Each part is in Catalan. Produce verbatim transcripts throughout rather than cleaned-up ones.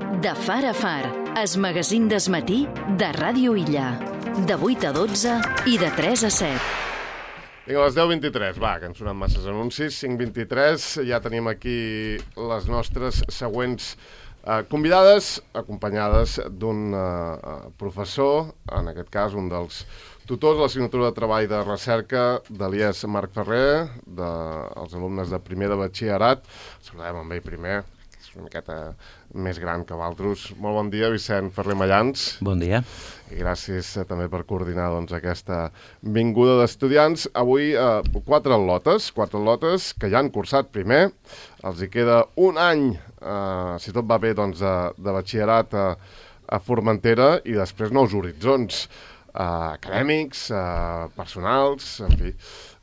De far a far, es magazín d'esmatí de Ràdio Illa. De vuit a dotze i de tres a set. Vinga, a les deu vint-i-tres, va, que han sonat masses anuncis. cinc vint-i-tres, ja tenim aquí les nostres següents eh, convidades, acompanyades d'un eh, professor, en aquest cas un dels tutors de l'assignatura de treball de recerca de l'I E S Marc Ferrer, dels de, alumnes de primer de batxillerat. Saludem amb ell primer, que és una miqueta més gran que d'altres. Molt bon dia, Vicent Ferrer Mallans. Bon dia. I gràcies eh, també per coordinar doncs, aquesta vinguda d'estudiants. Avui eh, quatre al·lotes, quatre al·lotes que ja han cursat primer. Els hi queda un any, eh, si tot va bé, doncs, de, de batxillerat a, a Formentera i després nous horitzons eh, acadèmics, eh, personals, en fi,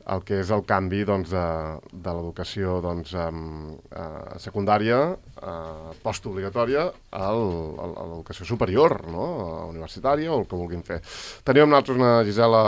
el que és el canvi doncs, de, de l'educació doncs, eh, secundària, eh, postobligatòria, a l'educació superior, no? Universitària o el que vulguin fer. Tenim amb nosaltres una Gisela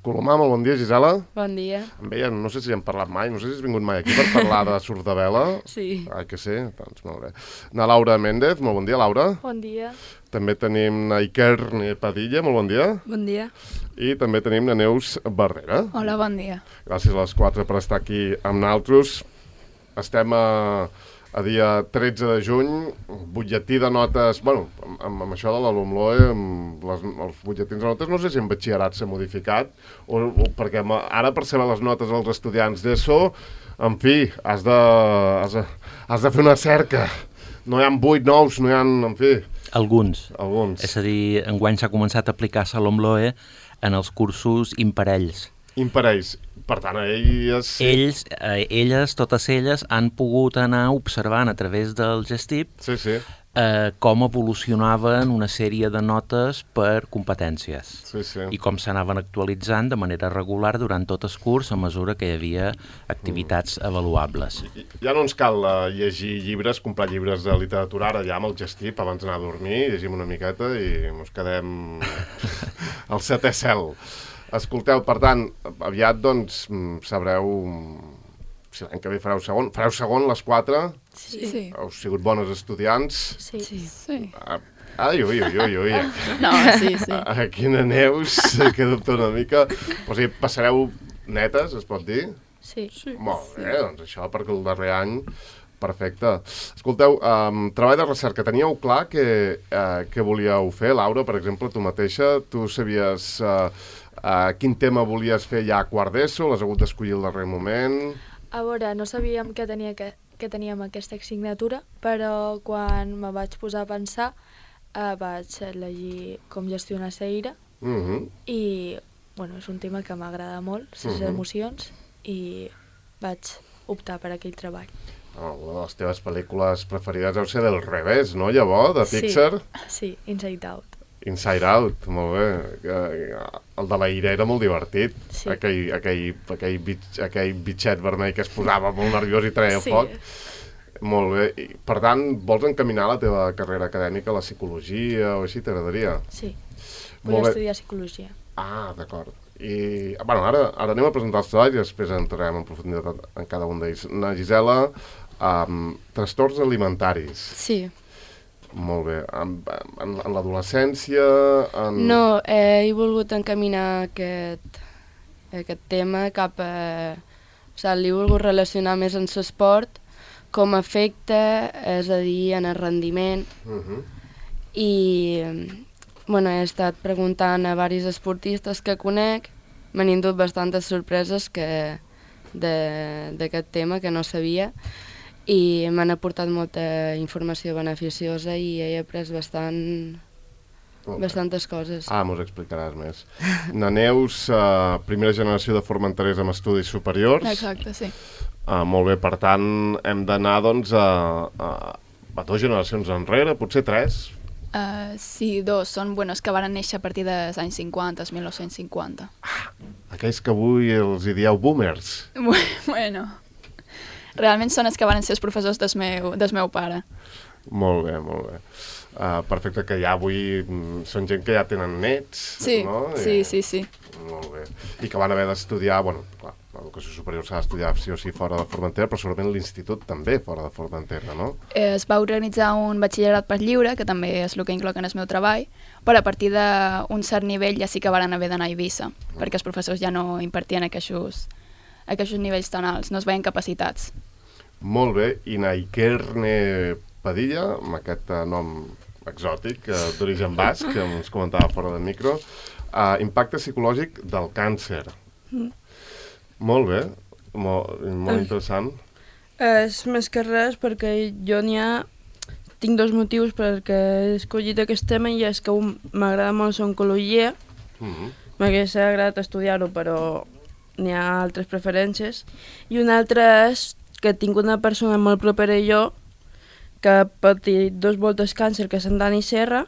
Colomà. Molt bon dia, Gisela. Bon dia. Amb ella no sé si hem parlat mai, no sé si has vingut mai aquí per parlar de Sordavela. Sí. Ai, que sí, doncs molt bé. Na Laura Méndez, molt bon dia, Laura. Bon dia. També tenim na Iker Padilla, molt bon dia. Bon dia. I també tenim na Neus Barrera. Hola, bon dia. Gràcies a les quatre per estar aquí amb nosaltres. Estem a, a dia tretze de juny, butlletí de notes, bueno, amb, amb això de l'Alumloe, amb les, els butlletins de notes, no sé si en batxillerat s'ha modificat, o, o perquè ara per saber les notes dels estudiants d'ESO, en fi, has de, has de, has de fer una cerca. No hi ha vuit nous, no hi ha, en fi... Alguns. Alguns. És a dir, enguany s'ha començat a aplicar l'Alumloe en els cursos imparells. Imparells. Per tant, elles... Ells, eh, elles, totes elles, han pogut anar observant a través del Gestip sí, sí. Eh, com evolucionaven una sèrie de notes per competències. Sí, sí. I com s'anaven actualitzant de manera regular durant tot el curs a mesura que hi havia activitats mm. avaluables. Ja no ens cal uh, llegir llibres, comprar llibres de literatura, ara ja amb el Gestip, abans d'anar a dormir, llegim una miqueta i ens quedem al setè cel. Escolteu, per tant, aviat doncs sabreu si l'any que ve fareu segon. Fareu segon les quatre? Sí. sí. Heu sigut bones estudiants? Sí. sí. sí. Ai, ui, ui, ui, ui. No, sí, sí. Aquí na Neus, que dubta una mica. O sigui, passareu netes, es pot dir? Sí. sí. Molt bé, sí. Doncs això perquè el darrer any... Perfecte. Escolteu, um, treball de recerca, teníeu clar que, uh, que volíeu fer? Laura, per exemple, tu mateixa, tu sabies uh, uh, quin tema volies fer ja a quart d'ESO, l'has hagut d'escollir al darrer moment? A veure, no sabíem que, tenia que, que teníem aquesta assignatura, però quan me vaig posar a pensar uh, vaig llegir com gestionar la ira uh -huh. i bueno, és un tema que m'agrada molt, les uh -huh. emocions, i vaig optar per aquell treball. Oh, una de les teves pel·lícules preferides deu ser del revés, no, llavors, de Pixar? Sí, sí, Inside Out. Inside Out, molt bé. El de la ira era molt divertit. Sí. Aquell, aquell, aquell, bit, aquell bitxet vermell que es posava molt nerviós i treia sí. foc. Molt bé. I, per tant, vols encaminar la teva carrera acadèmica a la psicologia o així, t'agradaria? Sí, vull estudiar psicologia. Ah, d'acord. I, bueno, ara, ara anem a presentar els treballs i després entrarem en profunditat en cada un d'ells. Na Gisela, um, trastorns alimentaris. Sí. Molt bé. En, en, en l'adolescència... En... No, eh, he volgut encaminar aquest, aquest tema cap a... O sigui, l'he volgut relacionar més amb l'esport, com afecta, és a dir, en el rendiment. Uh -huh. I... Bueno, he estat preguntant a diversos esportistes que conec, m'han indut bastantes sorpreses que d'aquest tema que no sabia i m'han aportat molta informació beneficiosa i he après bastant, bastantes coses. Ah, mos explicaràs més. Na Neus, uh, primera generació de formenterers amb estudis superiors. Exacte, sí. Uh, molt bé, per tant, hem d'anar doncs, a, a, a dues generacions enrere, potser tres. Uh, sí, dos. Són buenos que van néixer a partir dels anys cinquanta, mil nou-cents cinquanta. Ah, aquells que avui els hi dieu boomers. Bueno, realment són els que van ser els professors del meu, del meu pare. Molt bé, molt bé. Uh, perfecte, que ja avui mm, són gent que ja tenen nets, Sí, no? sí, I, sí, sí. Molt bé. I que van haver d'estudiar, bueno, clar, l'educació superior s'ha d'estudiar sí o sí fora de Formentera, però segurament l'institut també fora de Formentera, no? Eh, Es va organitzar un batxillerat per lliure, que també és el que incloc en el meu treball, però a partir d'un cert nivell ja sí que varen haver d'anar a Eivissa, mm. perquè els professors ja no impartien aquests, aquests nivells tan alts, no es veien capacitats. Molt bé, i Naikerne Padilla, amb aquest uh, nom exòtic, uh, d'origen basc, que ens comentava fora del micro, uh, impacte psicològic del càncer. Mm. Molt bé, molt, molt interessant. És més que res perquè jo n'hi ha... Tinc dos motius perquè he escollit aquest tema i és que un m'agrada molt l'oncologia, Mm-hmm. m'hagués agradat estudiar-ho però n'hi ha altres preferències, i un altre és que tinc una persona molt propera a jo que ha patit dos voltes càncer, que és en Dani Serra,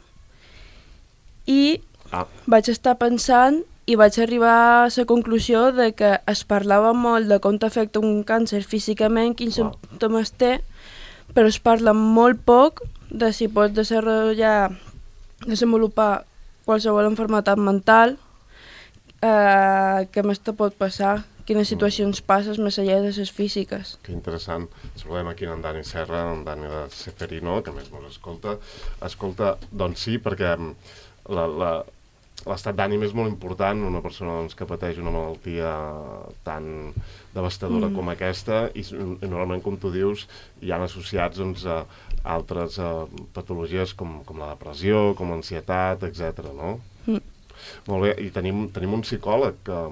i Ah. vaig estar pensant i vaig arribar a la conclusió de que es parlava molt de com t'afecta un càncer físicament, quins Wow. símptomes té, però es parla molt poc de si pots desenvolupar, desenvolupar qualsevol malaltia mental, eh, què més te pot passar, quines situacions passes més enllà de les físiques. Que interessant. Saludem aquí en Dani Serra, en Dani de Ceferino, que a més mos escolta. Escolta, doncs sí, perquè la, la, l'estat d'ànim és molt important, una persona doncs, que pateix una malaltia tan devastadora mm. com aquesta, i, i normalment, com tu dius, hi han associats doncs, a altres a, patologies com, com la depressió, com l'ansietat, etcètera, no? Mm. Molt bé, i tenim, tenim un psicòleg, que,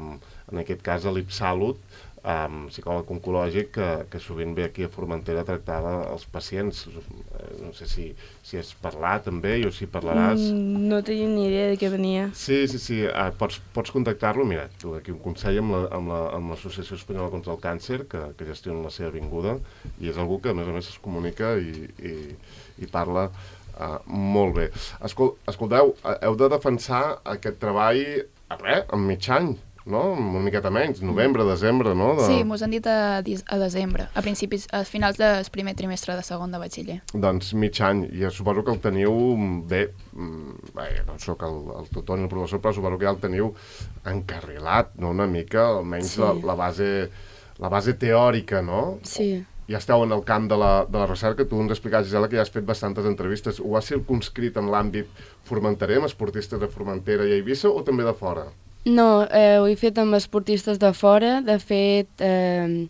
en aquest cas a l'Ipsalut, um, psicòleg oncològic, que, que sovint ve aquí a Formentera a tractar els pacients. No sé si, si has parlat també o si parlaràs. Mm, no tenia ni idea de què venia. Sí, sí, sí. Uh, pots, pots contactar-lo. Mira, tu aquí un consell amb l'Associació la, amb l'Associació Espanyola contra el Càncer, que, que gestiona la seva vinguda, i és algú que a més a més es comunica i, i, i parla uh, molt bé. Escol, escolteu, heu de defensar aquest treball a res, en mig any, no? Una miqueta menys, novembre, desembre, no? De... Sí, mos han dit a, a desembre, a principis, a finals del primer trimestre de segon de batxiller. Doncs mig any, i suposo que el teniu bé, bé no soc el, el tutor ni el professor, però suposo que ja el teniu encarrilat, no? Una mica, almenys sí. la, la, base, la base teòrica, no? Sí. Ja esteu en el camp de la, de la recerca, tu ens explicaves, Gisela, que ja has fet bastantes entrevistes. Ho has circumscrit en l'àmbit formenterer, amb esportistes de Formentera i Eivissa, o també de fora? No, eh, ho he fet amb esportistes de fora. De fet, eh,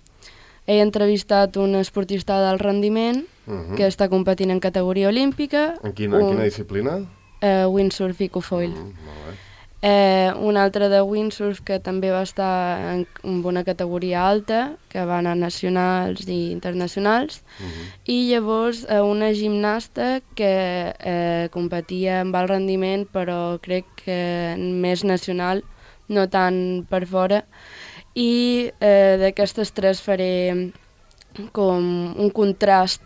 he entrevistat un esportista d'alt rendiment uh -huh. que està competint en categoria olímpica. En quina, en quina disciplina? Eh, windsurf i cofoil. Mm, molt bé. Eh, un altre de windsurf que també va estar en, en una categoria alta, que va anar a nacionals i internacionals, uh -huh. i llavors eh, una gimnasta que eh, competia amb alt rendiment, però crec que més nacional, no tant per fora, i eh, d'aquestes tres faré com un contrast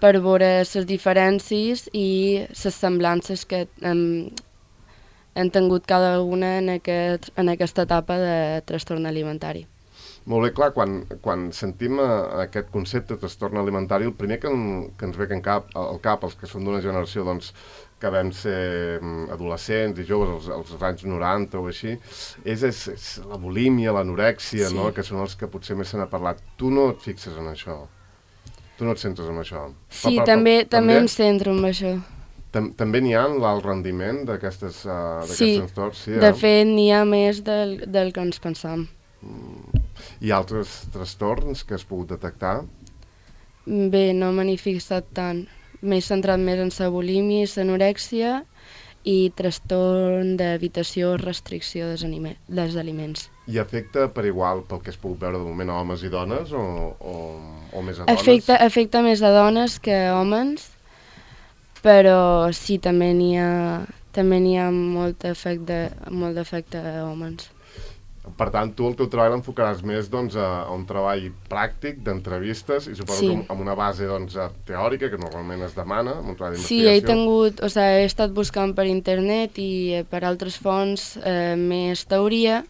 per veure les diferències i les semblances que eh, han tingut cada una en, aquest, en aquesta etapa de trastorn alimentari. Molt bé, clar, quan, quan sentim uh, aquest concepte de trastorn alimentari, el primer que, en, que ens ve al cap, al cap, els que són d'una generació doncs, que vam ser um, adolescents i joves als, als anys noranta o així, és, és, és la bulímia, l'anorèxia, sí. no? Que són els que potser més se n'ha parlat. Tu no et fixes en això? Tu no et centres en això? Sí, pa, pa, també, pa, també em centro en això. També n'hi ha l'alt rendiment d'aquestes uh, sí, trastorns? Sí, de eh? fet n'hi ha més del, del que ens pensam. Mm. I altres trastorns que has pogut detectar? Bé, no me n'he fixat tant. M'he centrat més en la bulímia i l'anorèxia i trastorn d'evitació o restricció dels aliments. I afecta per igual, pel que has pogut veure de moment, a homes i dones o, o, o més a dones? Afecta, afecta més a dones que a homes, però sí, també n'hi ha, també n'hi ha molt d'efecte molt d'efecte a homes. Per tant, tu el teu treball l'enfocaràs més doncs, a, a un treball pràctic d'entrevistes i suposo sí. que amb una base doncs, teòrica, que normalment es demana, amb un treball d'investigació. Sí, he tingut, o sigui, he estat buscant per internet i eh, per altres fonts eh, més teoria,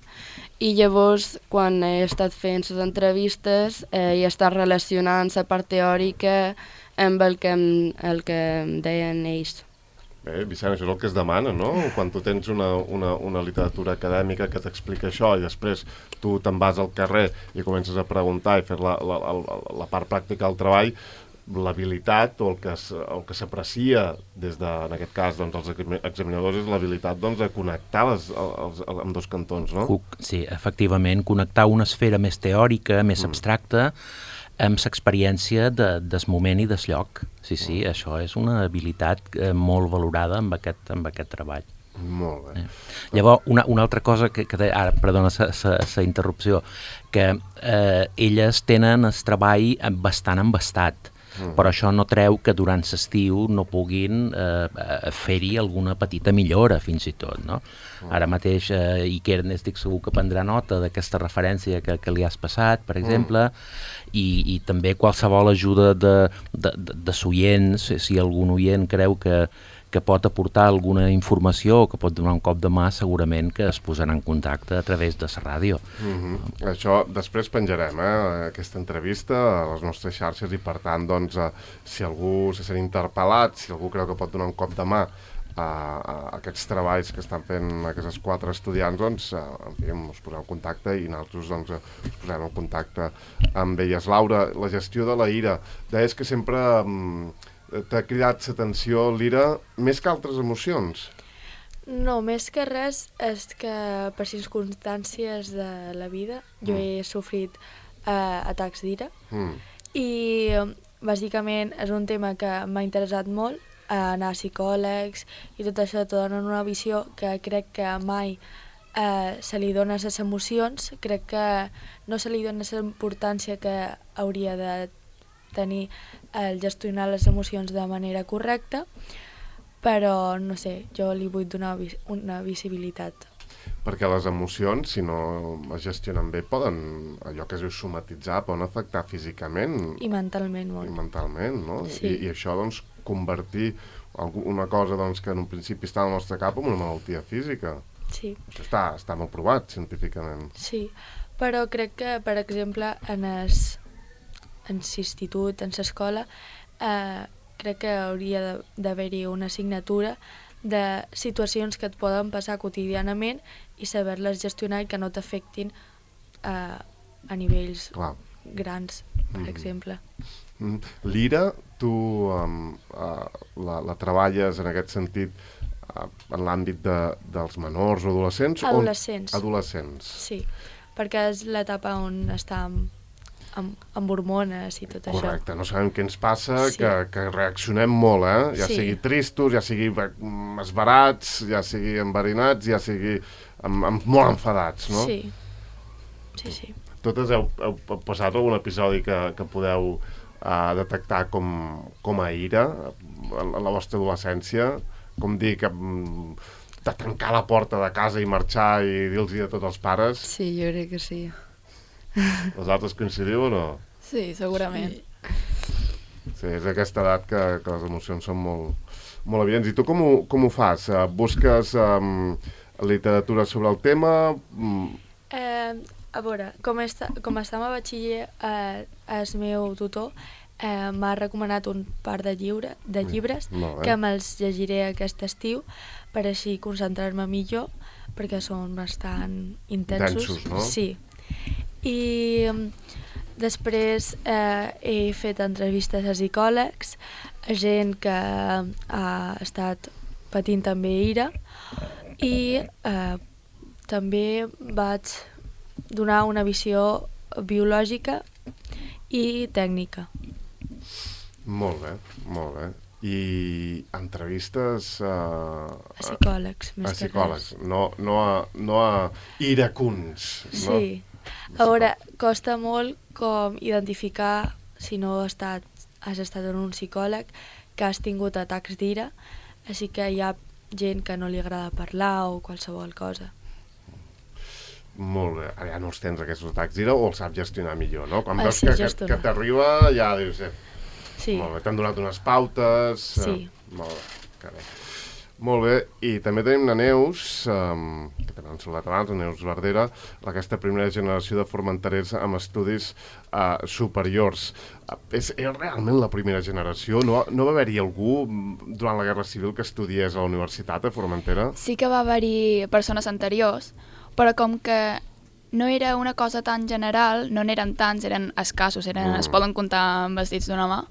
i llavors, quan he estat fent les entrevistes, eh, he estat relacionant la part teòrica amb el que, em, el que em deien ells. Bé, Vicent, això és el que es demana, no? Quan tu tens una, una, una literatura acadèmica que t'explica això i després tu te'n vas al carrer i comences a preguntar i fer la, la, la, la part pràctica del treball, l'habilitat o el que, el que s'aprecia des de, en aquest cas, doncs, els examinadors és l'habilitat doncs, de connectar les, els, els, amb dos cantons, no? Sí, efectivament, connectar una esfera més teòrica, més mm. abstracta, amb l'experiència de, des moment i des lloc. Sí, sí, mm. això és una habilitat eh, molt valorada amb aquest, amb aquest treball. Molt bé. Eh. Llavors, una, una altra cosa que, que de, ara, perdona la interrupció, que eh, elles tenen el treball bastant embastat, mm. però això no treu que durant l'estiu no puguin eh, fer-hi alguna petita millora, fins i tot, no? Mm. Ara mateix, eh, Iker, estic segur que prendrà nota d'aquesta referència que, que li has passat, per exemple, mm. i, i també qualsevol ajuda de, de, de, de s'oients, si algun oient creu que, que pot aportar alguna informació o que pot donar un cop de mà, segurament que es posarà en contacte a través de la ràdio. Mm-hmm. Això després penjarem, eh, aquesta entrevista a les nostres xarxes i, per tant, doncs, eh, si algú se sent interpel·lat, si algú creu que pot donar un cop de mà a, a aquests treballs que estan fent aquests quatre estudiants, doncs, en fi, us posem en contacte i nosaltres doncs, us posem en contacte amb elles. Laura, la gestió de la ira, deies que sempre mm, t'ha cridat l'atenció l'ira més que altres emocions. No, més que res és que per circumstàncies de la vida jo mm. he sofrit eh, atacs d'ira mm. i bàsicament és un tema que m'ha interessat molt, anar a psicòlegs i tot això te donen una visió que crec que mai eh, se li dona a les emocions, crec que no se li dona la importància que hauria de tenir el gestionar les emocions de manera correcta, però no sé, jo li vull donar una visibilitat. Perquè les emocions, si no es gestionen bé, poden, allò que es diu somatitzar, poden afectar físicament. I mentalment molt. I mentalment, no? Sí. I, I això, doncs, convertir una cosa doncs, que en un principi està al nostre cap en una malaltia física. Sí. Això està, està molt provat científicament. Sí, però crec que, per exemple, en es, en l'institut, en l'escola, eh, crec que hauria d'haver-hi una assignatura de situacions que et poden passar quotidianament i saber-les gestionar i que no t'afectin eh, a nivells Clar. grans, per mm-hmm. exemple. Mm. L'ira, tu um, uh, la, la treballes en aquest sentit uh, en l'àmbit de, dels menors o adolescents? Adolescents. On... Adolescents. Sí, perquè és l'etapa on està amb, amb, amb hormones i tot Correcte. això. Correcte, no sabem què ens passa, sí. que, que reaccionem molt, eh? Ja sí. sigui tristos, ja sigui esbarats, ja sigui enverinats, ja sigui amb, amb molt enfadats, no? Sí, sí, sí. Totes heu, heu passat algun episodi que, que podeu a detectar com, com a ira en la vostra adolescència, com dir que de tancar la porta de casa i marxar i dir-los a tots els pares? Sí, jo crec que sí. Els altres coincidiu o no? Sí, segurament. Sí, és aquesta edat que, que les emocions són molt, molt evidents. I tu com ho, com ho fas? Busques um, literatura sobre el tema? Eh... A veure, com, està, com estava a batxiller, eh, el meu tutor eh, m'ha recomanat un par de, lliure, de llibres no, eh? que me'ls llegiré aquest estiu per així concentrar-me millor, perquè són bastant intensos. Densos, no? Sí. I després eh, he fet entrevistes a psicòlegs, a gent que ha estat patint també ira, i eh, també vaig donar una visió biològica i tècnica. Molt bé, molt bé. I entrevistes a... A psicòlegs, més a psicòlegs, que res. No, no, a, no a iracuns, no? Sí. A veure, costa molt com identificar, si no has estat, has estat en un psicòleg, que has tingut atacs d'ira, així que hi ha gent que no li agrada parlar o qualsevol cosa. Molt bé. Ja no els tens, aquests atacs d'ira, o els saps gestionar millor, no? Quan ah, veus sí, que, que, que t'arriba, ja dius... Eh, sí. Molt bé, t'han donat unes pautes... Sí. Eh, molt bé, que bé. Molt bé, i també tenim la Neus, um, que també han saludat abans, la Neus Verdera, aquesta primera generació de formenterers amb estudis uh, superiors. Uh, és, és realment la primera generació? No, no va haver-hi algú durant la Guerra Civil que estudiés a la universitat a Formentera? Sí que va haver-hi persones anteriors, però com que no era una cosa tan general, no n'eren tants, eren escassos, eren, mm. es poden comptar amb els dits d'una mà,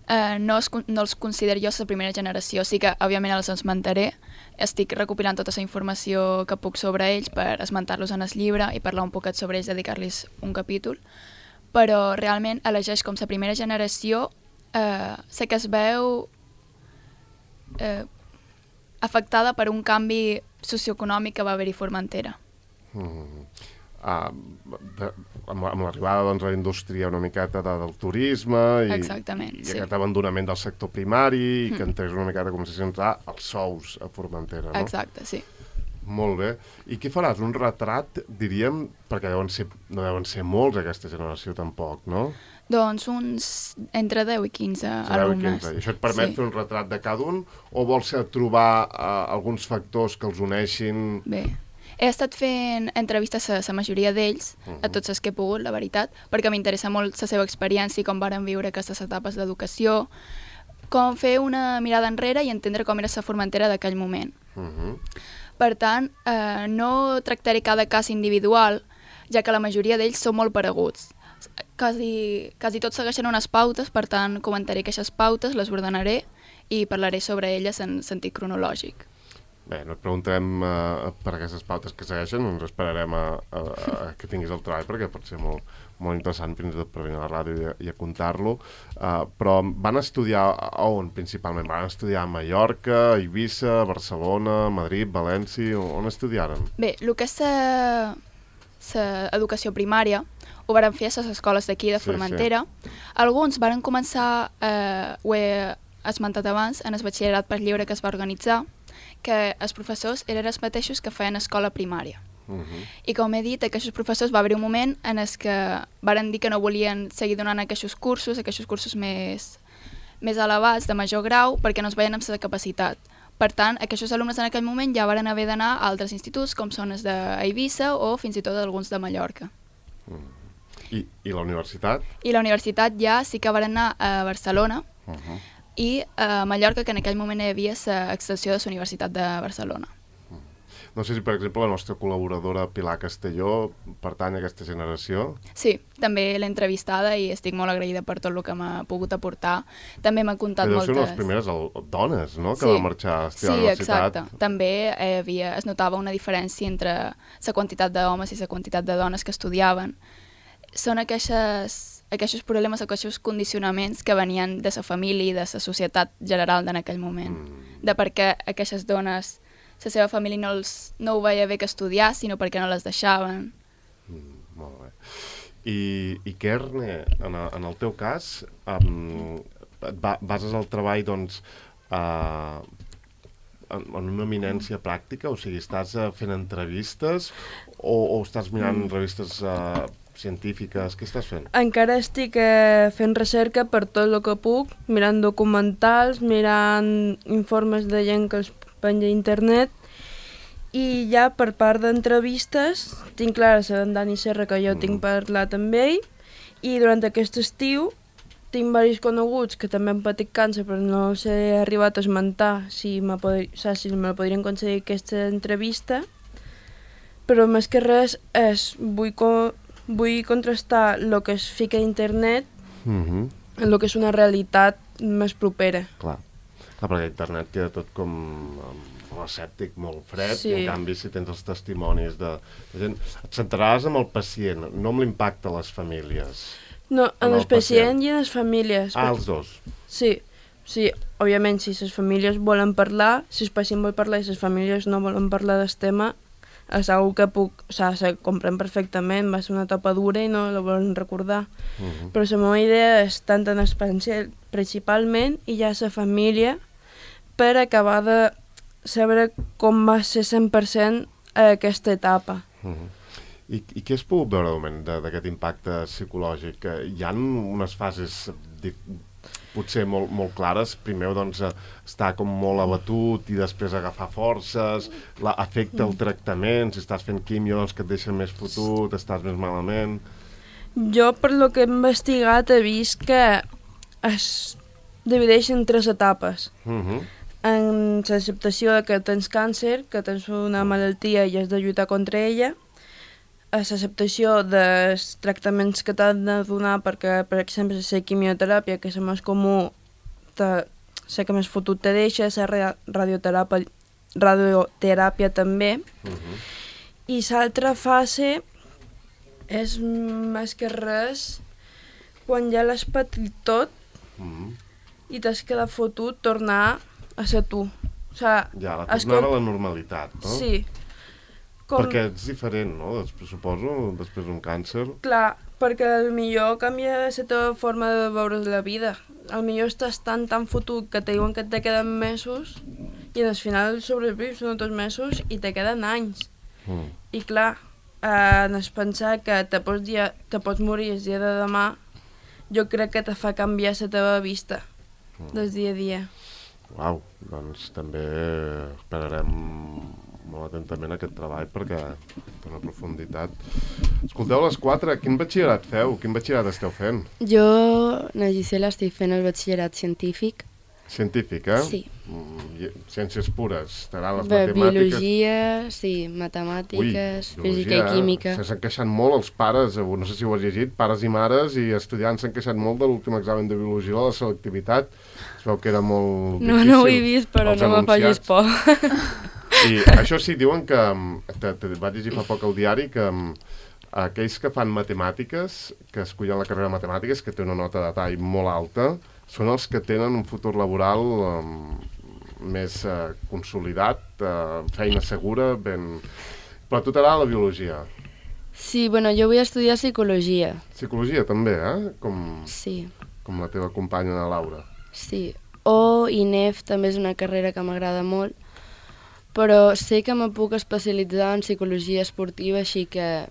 Uh, no, es, no els considero jo la primera generació, sí que òbviament els esmentaré, estic recopilant tota la informació que puc sobre ells per esmentar-los en el llibre i parlar un poquet sobre ells, dedicar-los un capítol, però realment elegeix com la primera generació, uh, sé que es veu uh, afectada per un canvi socioeconòmic que va haver-hi a Formentera. Mm. Uh, de, amb, amb l'arribada doncs, a la indústria una miqueta de, del turisme i, Exactament, i sí. aquest abandonament del sector primari i mm. que entrés una miqueta com si s'entrar els sous a Formentera, no? Exacte, sí. Molt bé. I què faràs? Un retrat, diríem, perquè deuen ser, no deuen ser molts aquesta generació tampoc, no? Doncs uns entre deu i quinze deu alumnes. I quinze. I això et permet sí. fer un retrat de cada un o vols trobar uh, alguns factors que els uneixin? Bé, he estat fent entrevistes a la majoria d'ells, uh -huh. a tots els que he pogut, la veritat, perquè m'interessa molt la seva experiència i com varen viure aquestes etapes d'educació, com fer una mirada enrere i entendre com era la Formentera d'aquell moment. Uh -huh. Per tant, eh, no tractaré cada cas individual, ja que la majoria d'ells són molt pareguts. Quasi, quasi tots segueixen unes pautes, per tant, comentaré aquestes pautes, les ordenaré i parlaré sobre elles en sentit cronològic. Bé, no et preguntarem uh, per aquestes pautes que segueixen, ens esperarem a, a, a que tinguis el treball, perquè pot ser molt, molt interessant fins i tot per venir a la ràdio i a, i a contar-lo. Uh, però van estudiar a on, principalment? Van estudiar a Mallorca, a Eivissa, a Barcelona, a Madrid, València? On estudiaren? Bé, el que és l'educació primària ho varen fer a les escoles d'aquí de Formentera. Sí, sí. Alguns varen començar, eh, ho he esmentat abans, en el batxillerat per lliure que es va organitzar, que els professors eren els mateixos que feien escola primària. Uh -huh. I com he dit, aquests professors va haver un moment en el que varen dir que no volien seguir donant aquests cursos, aquests cursos més, més elevats, de major grau, perquè no es veien amb la capacitat. Per tant, aquests alumnes en aquell moment ja varen haver d'anar a altres instituts, com són els d'Eivissa o fins i tot alguns de Mallorca. Uh -huh. I, I la universitat? I la universitat ja sí que varen anar a Barcelona, uh -huh. i a Mallorca, que en aquell moment hi havia l'extensió de la Universitat de Barcelona. No sé si, per exemple, la nostra col·laboradora Pilar Castelló pertany a aquesta generació. Sí, també l'he entrevistada i estic molt agraïda per tot el que m'ha pogut aportar. També m'ha contat Però moltes... Però són les primeres dones, no?, que sí. van marxar a estudiar sí, a la universitat. Sí, exacte. També eh, havia, es notava una diferència entre la quantitat d'homes i la quantitat de dones que estudiaven. Són aquestes... aquests problemes, aquests condicionaments que venien de la família i de la societat general en aquell moment. Mm. De per què aquestes dones, la seva família no, els, no ho veia bé que estudiar, sinó perquè no les deixaven. Mm, molt bé. I, i Kerne, en, a, en el teu cas, um, et ba bases el treball, doncs, uh, en, en una eminència pràctica? O sigui, estàs uh, fent entrevistes o, o estàs mirant mm. revistes... Uh, científiques, què estàs fent? Encara estic eh, fent recerca per tot el que puc, mirant documentals, mirant informes de gent que els penja a internet, i ja per part d'entrevistes tinc clara la d'en Dani Serra, que jo mm. tinc parlat amb ell, i durant aquest estiu tinc diversos coneguts que també han patit càncer, però no els he arribat a esmentar si me, pod si me podrien concedir aquesta entrevista, però més que res és, vull com Vull contrastar el que es fica a internet mm-hmm. amb el que és una realitat més propera. Clar, Clar perquè internet queda tot com molt escèptic, molt fred, sí. I en canvi si tens els testimonis de, de gent... Et centraràs amb el pacient, no amb l'impacte a les famílies. No, en el, el pacient, pacient i en les famílies. Ah, els dos? Sí, sí, òbviament si les famílies volen parlar, si el pacient vol parlar i les famílies no volen parlar del tema, és una que puc, o sigui, se comprèn perfectament, va ser una etapa dura i no la volen recordar. Uh-huh. Però la meva idea és tant en el pacient principalment i ja la família per acabar de saber com va ser cent per cent aquesta etapa. Uh-huh. I, I què has pogut veure de moment d'aquest impacte psicològic? Hi ha unes fases potser molt, molt clares. Primer, doncs, estar com molt abatut i després agafar forces, la, afecta el tractament, si estàs fent quimio, doncs que et deixen més fotut, estàs més malament... Jo, per lo que he investigat, he vist que es divideix en tres etapes. Uh-huh. En l'acceptació que tens càncer, que tens una malaltia i has de lluitar contra ella, a l'acceptació dels tractaments que t'han de donar perquè, per exemple, la quimioteràpia, que és el més comú, te, sé que més fotut te deixa, la radioteràpia, radioteràpia també, Uh-huh. i l'altra fase és més que res quan ja l'has patit tot Uh-huh. i t'has quedat fotut, tornar a ser tu. O sigui, Ja, la tornar a la normalitat, no? Sí. Com... Perquè és diferent, no? Després, suposo, després d'un càncer. Clar, perquè al millor canvia la teva forma de veure la vida. Al millor estàs tan, tan fotut que te diuen que te queden mesos i al final sobrevius uns dos mesos i te queden anys. Mm. I clar, eh, no és pensar que te pots, dia, te pots morir el dia de demà, jo crec que te fa canviar la teva vista mm. del dia a dia. Uau, doncs també esperarem molt atentament aquest treball perquè té una profunditat. Escolteu, les quatre, quin batxillerat feu? Quin batxillerat esteu fent? Jo, na Gisela, estic fent el batxillerat científic. Científic, eh? Sí. Mm, ciències pures, t'agraden les Bé, matemàtiques? biologia, sí, matemàtiques, Ui, física i química. S'han queixat molt els pares, no sé si ho has llegit, pares i mares i estudiants s'han queixat molt de l'últim examen de biologia, de la selectivitat. Es veu que era molt No, difícil. no ho he vist, però Els no me facis enunciats. por. I això sí, diuen que, te, te vaig llegir fa poc al diari, que aquells que fan matemàtiques, que escollen la carrera de matemàtiques, que té una nota de tall molt alta, són els que tenen un futur laboral um, més uh, consolidat, uh, feina segura, ben... Però a tu t'agrada la biologia. Sí, bueno, jo vull estudiar psicologia. Psicologia també, eh? Com, Sí, com la teva companya, la Laura. sí. O I N E F també és una carrera que m'agrada molt, però sé que me puc especialitzar en psicologia esportiva, així que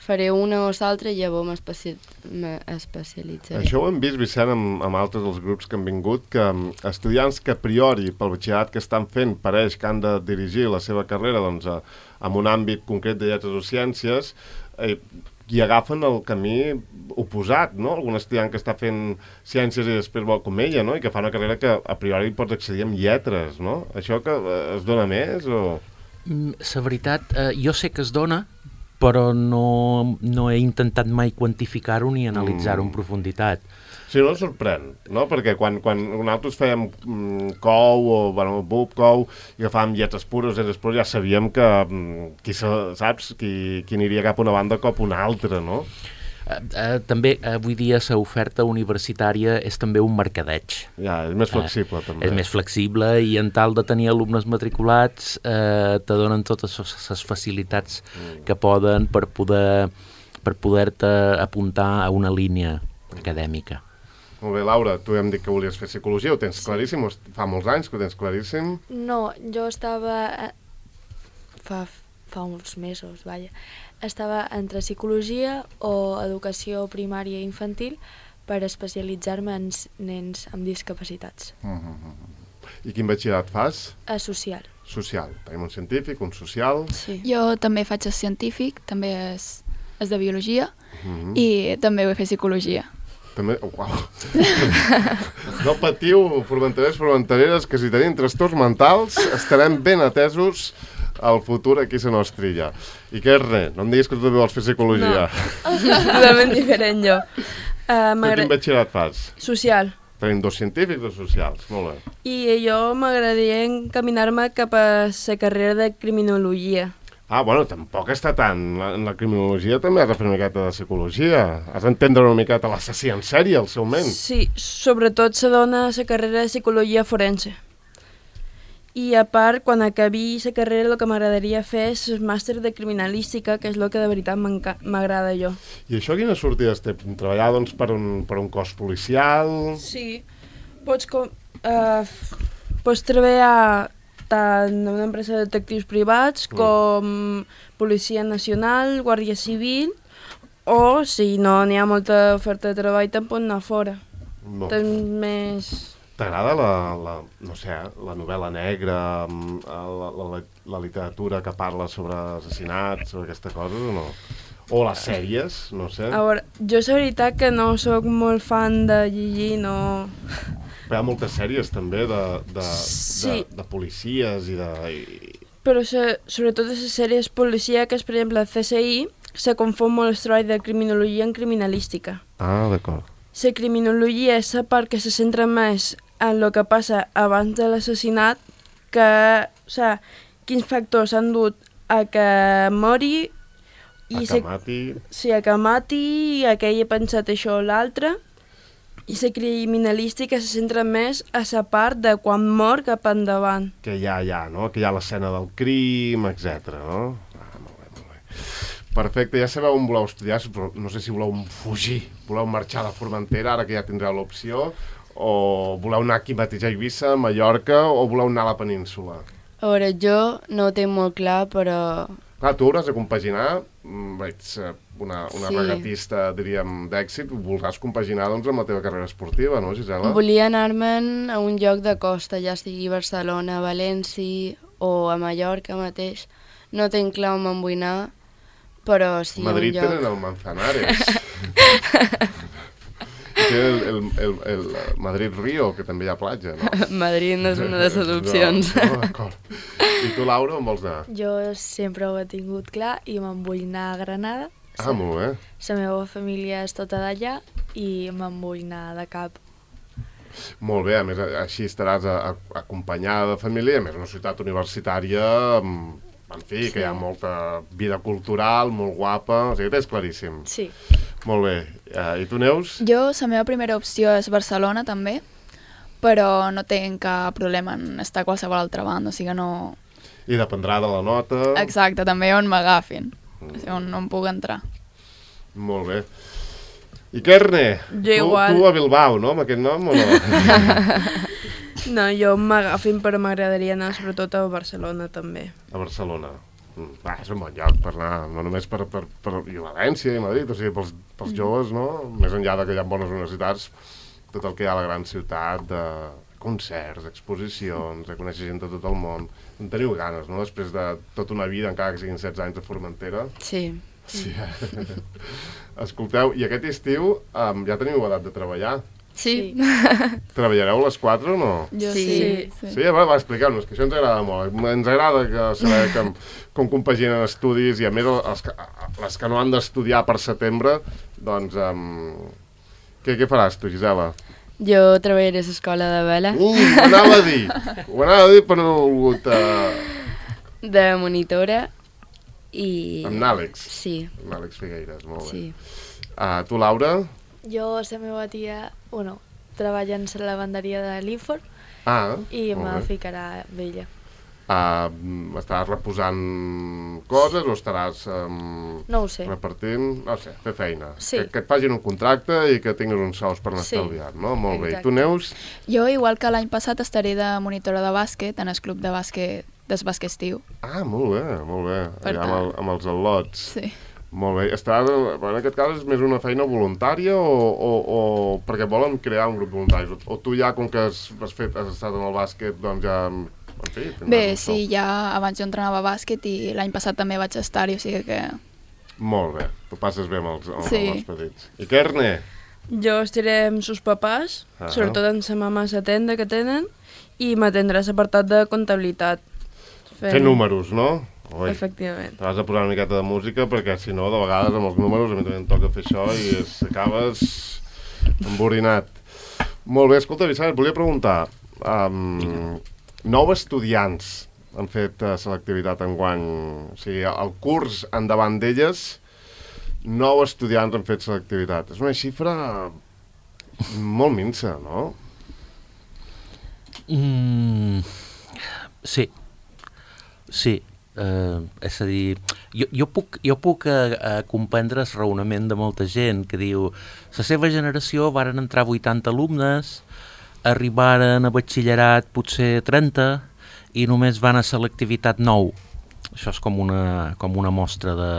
faré una o l'altra i llavors m'especialitzaré. Això ho hem vist, Vicent, amb, amb altres dels grups que han vingut, que um, estudiants que a priori, pel batxillerat que estan fent, pareix que han de dirigir la seva carrera doncs, a, en un àmbit concret de lletres o ciències, eh, i agafen el camí oposat, no? Algun estudiant que està fent ciències i després vol com ella, no? I que fa una carrera que a priori pots accedir amb lletres, no? Això que eh, es dona més o...? La veritat, eh, jo sé que es dona, però no, no he intentat mai quantificar-ho ni analitzar-ho Mm. en profunditat. Sí, no sorprèn, no? Perquè quan, quan nosaltres fèiem mm, cou o, bueno, bub, cou, i agafàvem lletres pures, lletres pures, ja sabíem que mm, qui, sa- saps, qui, qui aniria cap a una banda cap a una altra, no? Eh, eh, també, avui dia, l'oferta universitària és també un mercadeig. Ja, és més flexible, Eh, també. És més flexible i en tal de tenir alumnes matriculats eh, te donen totes les facilitats Mm. que poden per poder per poder-te apuntar a una línia acadèmica. Molt bé, Laura, tu hem dit que volies fer psicologia, ho tens claríssim? O fa molts anys que ho tens claríssim? No, jo estava... eh, Fa, fa uns mesos, vaja. Estava entre psicologia o educació primària i infantil per especialitzar-me en s- nens amb discapacitats. Mm -hmm. I quin batxillerat fas? A social. Social. Tenim un científic, un social... Sí. Jo també faig el científic, també és, és de biologia, Mm -hmm. i també vull fer psicologia. També... Oh, uau. No patiu, formenterers, formentereres, que si tenim trastorns mentals estarem ben atesos al futur aquí a la nostra illa. I què és res? No em diguis que tu també vols fer psicologia. Totalment diferent, jo. Uh, Tu quin batxillerat fas? Social. Tenim dos científics, dos socials. Molt bé. I jo m'agradaria encaminar-me cap a la carrera de criminologia. Ah, bueno, tampoc està tant. En la criminologia també has de fer una miqueta de psicologia. Has d'entendre una miqueta l'assassí en sèrie, al seu ment. Sí, sobretot se dona la carrera de psicologia forense. I a part, quan acabi la carrera, el que m'agradaria fer és el màster de criminalística, que és el que de veritat m'enca- m'agrada a jo. I això quines sortides té? Treballar, doncs, per un, per un cos policial... Sí, pots, com, uh, pots treballar tant en una empresa de detectius privats Mm. com Policia Nacional, Guàrdia Civil, o si no n'hi ha molta oferta de treball, te'n pots anar fora. No. Tens més... T'agrada la, la, no sé, la novel·la negra, la, la, la literatura que parla sobre assassinats, sobre aquestes coses o no? O les sèries, no sé. A veure, jo és veritat que no sóc molt fan de llegir, no... Però hi ha moltes sèries també de, de, Sí. de, de policies i de... I... Però se, sobretot les sèries policíaques, per exemple, el C S I, se confon molt el treball de criminologia en criminalística. Ah, d'acord. La criminologia és la part que se centra més en el que passa abans de l'assassinat, que, o sigui, quins factors han dut a que mori, A i que mati... sí, a que mati, a que ell ha pensat això o l'altre, i la criminalística se centra més a la part de quan mor cap endavant. Que hi ha allà, no? Que hi ha l'escena del crim, etcètera, no? Ah, molt bé, molt bé. Perfecte, ja sabeu on voleu estudiar, però no sé si voleu fugir, voleu marxar de Formentera, ara que ja tindreu l'opció, o voleu anar aquí mateix a Eivissa, a Mallorca, o voleu anar a la península? A veure, jo no ho tinc molt clar, però... Clar, tu hauràs de compaginar, ets una, una Sí. regatista, diríem, d'èxit, voldràs compaginar doncs, amb la teva carrera esportiva, no, Gisela? Volia anar-me'n a un lloc de costa, ja sigui Barcelona, València o a Mallorca mateix. No tinc clar on me'n vull anar, però sí a un Madrid lloc... tenen el Manzanares. Té el, el, el, el Madrid-Rio, que també hi ha platja, no? Madrid no és una de les opcions. No, no, d'acord. I tu, Laura, on vols anar? Jo sempre ho he tingut clar i me'n vull anar a Granada. Ah, molt bé. La meva família és tota d'allà i me'n vull anar de cap. Molt bé, a més, així estaràs a, a, acompanyada de família, a més, una ciutat universitària, amb, en fi, Sí. que hi ha molta vida cultural, molt guapa, o sigui, tens claríssim. Sí. Molt bé. Uh, I tu, Neus? Jo, la meva primera opció és Barcelona, també, però no tinc cap problema en estar a qualsevol altra banda, o sigui que no... I dependrà de la nota. Exacte, també on m'agafin, o sigui, on no em puc entrar. Molt bé. I Kerne? Jo tu, igual. Tu a Bilbao, no?, amb aquest nom o no? No, jo m'agafin, però m'agradaria anar sobretot a Barcelona, també. A Barcelona. Mm, va, és un bon lloc per anar, no només per, per, per i València i Madrid, o sigui, pels, pels joves, no? Més enllà de que hi ha bones universitats, tot el que hi ha a la gran ciutat, de concerts, exposicions, de conèixer gent de tot el món. En teniu ganes, no?, després de tota una vida, encara que siguin setze anys de Formentera. Sí. Sí. Escolteu, i aquest estiu um, ja teniu edat de treballar? Sí. Treballareu les quatre o no? Jo Sí. sí. Sí, sí va, va expliqueu-nos, que això ens agrada molt. Ens agrada que saber que, com compaginen estudis i a més els que, les que no han d'estudiar per setembre, doncs um, què, què faràs tu, Gisela? Jo treballaré a l'escola de vela, Uh, ho anava a dir, ho anava a dir però no he volgut... Uh, de monitora i... amb n'Àlex, Sí, amb n'Àlex Figueires, molt bé. sí. Uh, tu, Laura? Jo, la meva tia, bueno, treballa en la lavanderia de l'Infor Ah, i me molt bé. ficarà amb ella. Uh, estaràs reposant coses o estaràs um, No ho sé. repartint? No sé, fer feina. Sí. Que, que et facin un contracte i que tinguis uns sous per anar Sí. estalviant, no? Molt bé. I Exacte. tu, Neus? Jo, igual que l'any passat, estaré de monitora de bàsquet en el club de bàsquet del bàsquet estiu. Ah, molt bé, molt bé. Per Allà amb, el, tant. amb els al·lots. Sí. Molt bé. Estaràs, en aquest cas és més una feina voluntària o, o, o perquè volen crear un grup voluntari? O, o tu ja, com que has, has, fet, has estat en el bàsquet, doncs ja... En fi, tindràs Bé, un sou. sí, ja abans jo entrenava a bàsquet i l'any passat també vaig estar-hi, o sigui que... Molt bé. Tu passes bé amb els, amb, Sí. amb els petits. I Kerne? Jo estaré amb sus papàs, Ah. sobretot amb sa mama a la tenda que tenen, i m'atendrà l'apartat de comptabilitat. Fer números, no? Ui. Efectivament. T'has de posar una miqueta de música perquè si no, de vegades amb els números a mi també em toca fer això i es, acabes emborinat. Molt bé, escolta, Vicent, et volia preguntar. Um, nou estudiants han fet uh, selectivitat enguany. O sigui, el curs endavant d'elles, nou estudiants han fet selectivitat. És una xifra molt minsa, no? Mm, sí, sí. Uh, és a dir, jo, jo puc, jo puc uh, uh, comprendre el raonament de molta gent que diu la seva generació varen entrar vuitanta alumnes, arribaren a batxillerat potser trenta i només van a selectivitat nou. Això és com una, com una mostra de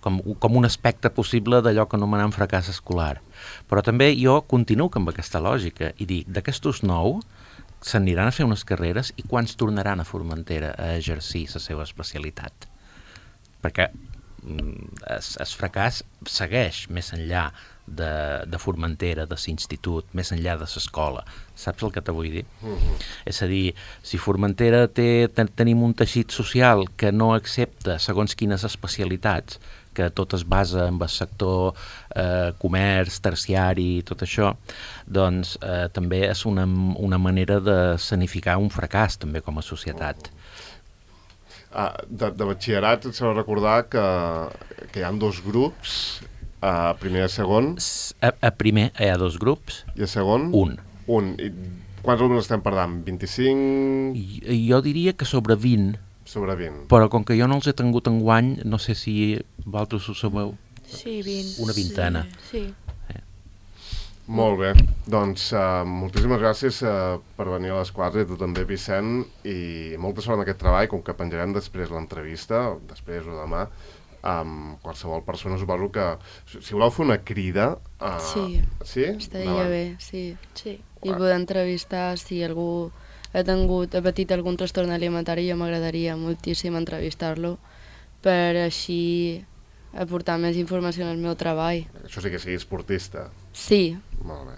com, com un aspecte possible d'allò que anomenem fracàs escolar. Però també jo continuo amb aquesta lògica i dic, d'aquestos nou s'aniran a fer unes carreres i quants tornaran a Formentera a exercir la seva especialitat? Perquè el fracàs segueix més enllà de, de Formentera, de l'institut, més enllà de l'escola. Saps el que te vull dir? Uh-huh. És a dir, si Formentera té, ten, tenim un teixit social que no accepta segons quines especialitats, que tot es basa en el sector eh, comerç, terciari, tot això, doncs eh, també és una, una manera de sanificar un fracàs també com a societat. Ah, de, de batxillerat et s'ha de recordar que, que hi ha dos grups, a primer i a segon. A, a primer hi ha dos grups. I a segon? Un. Un. I quants alumnes estem parlant? vint-i-cinc? I, jo diria que sobre vint. Sobre vint. Però com que jo no els he tingut enguany, no sé si vosaltres ho sabeu. Sí, vint. Una vintena. Sí. sí. Molt bé. Doncs uh, moltíssimes gràcies uh, per venir a les quatre, i tu també, Vicent, i molta sort en aquest treball, com que penjarem després l'entrevista, després o demà, amb qualsevol persona, suposo que si voleu fer una crida... Uh, sí, sí? estaria Davant. bé, sí. sí. I poder entrevistar si algú ha tingut, ha patit algun trastorn alimentari, jo m'agradaria moltíssim entrevistar-lo per així aportar més informació en el meu treball. Això sí que sigui esportista. Sí. Molt bé.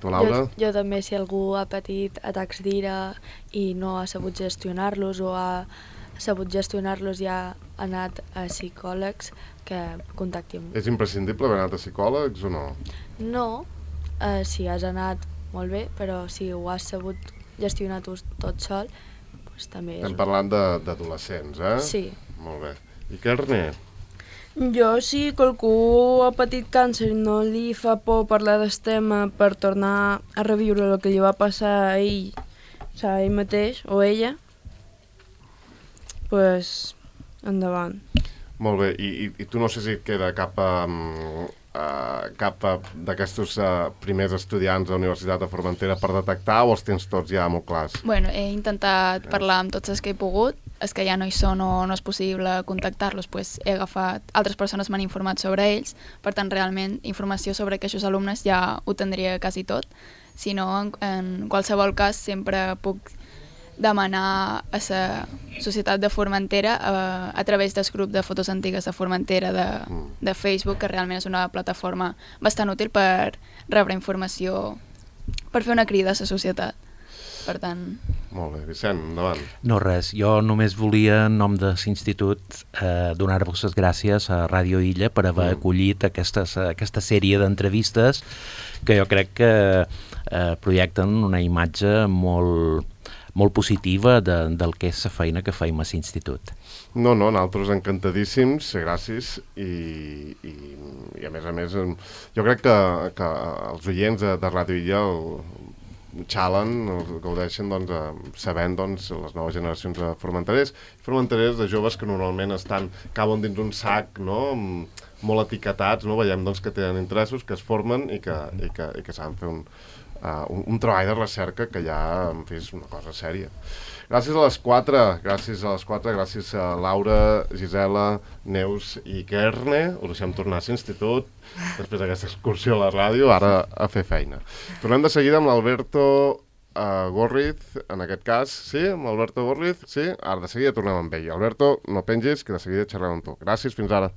Tu, Laura? Jo, jo també, si algú ha patit atacs d'ira i no ha sabut gestionar-los o ha sabut gestionar-los i ha anat a psicòlegs, que contacti amb... És imprescindible haver anat a psicòlegs o no? No, eh, si has anat molt bé, però si ho has sabut gestionar tu tot sol, doncs també és... Estem parlant d'adolescents, eh? Sí. Molt bé. I Carné? Jo, si qualcú ha patit càncer i no li fa por parlar del tema per tornar a reviure el que li va passar a ell, o sigui, a ell mateix o a ella, pues, endavant. Molt bé, I, i, i tu no sé si et queda cap, um, uh, cap uh, d'aquests uh, primers estudiants de la Universitat de Formentera per detectar, o els tens tots ja molt clars? Bueno, he intentat parlar amb tots els que he pogut, els que ja no hi són o no és possible contactar-los, pues he agafat, altres persones m'han informat sobre ells, per tant, realment, informació sobre aquests alumnes ja ho tindria quasi tot, si no, en, en qualsevol cas, sempre puc demanar a la Societat de Formentera a, a través del grup de fotos antigues de Formentera de, de Facebook, que realment és una plataforma bastant útil per rebre informació, per fer una crida a la societat. Per tant... Molt bé, Vicent, endavant. No res, jo només volia, en nom de l'institut, eh, donar-vos les gràcies a Ràdio Illa per haver mm. acollit aquestes, aquesta sèrie d'entrevistes que jo crec que eh, projecten una imatge molt... molt positiva de, del que és la feina que feim a l'institut. No, no, nosaltres encantadíssims, gràcies, i, i, i a més a més, jo crec que, que els oients de, de Ràdio Illa el xalen, el gaudeixen doncs, sabent doncs, les noves generacions de formenterers, formenterers de joves que normalment estan, caben dins un sac, no?, molt etiquetats, no?, veiem doncs, que tenen interessos, que es formen i que, i que, i que saben fer un, Uh, un, un treball de recerca que ja, en fi, és una cosa sèria. Gràcies a les quatre, gràcies a les quatre, gràcies a Laura, Gisela, Neus i Kerne. Us deixem tornar a l'institut, després d'aquesta excursió a la ràdio, ara a fer feina. Tornem de seguida amb l'Alberto uh, Gorriz, en aquest cas, sí? Amb l'Alberto Gorriz, sí? Ara de seguida tornem amb ell. Alberto, no pengis, que de seguida xerrem amb tu. Gràcies, fins ara.